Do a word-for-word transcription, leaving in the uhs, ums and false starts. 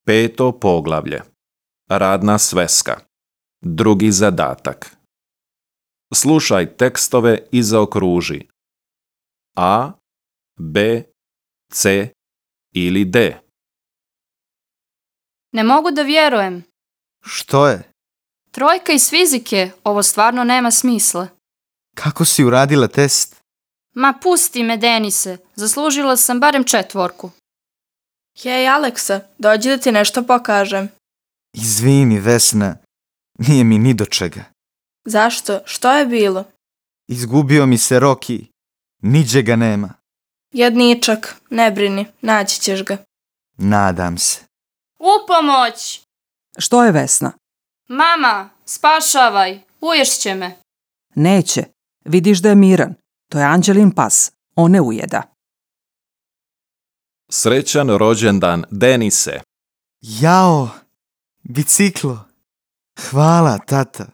Peto poglavlje. Radna sveska. Drugi zadatak. Slušaj tekstove i zaokruži. A, B, C ili D. Ne mogu da vjerujem. Što je? Trojka iz fizike, ovo stvarno nema smisla. Kako si uradila test? Ma pusti me, Denise, zaslužila sam barem četvorku. Hej, Aleksa, dođi da ti nešto pokažem. Izvini, Vesna, nije mi ni do čega. Zašto? Što je bilo? Izgubio mi se Roki, niđe ga nema. Jedničak, ne brini, naći ćeš ga. Nadam se. Upomoć! Što je, Vesna? Mama, spašavaj, uješće me. Neće. Vidiš da je miran. To je Anđelin pas. On ne ujeda. Srećan rođendan, Denise. Jao, biciklo. Hvala, tata.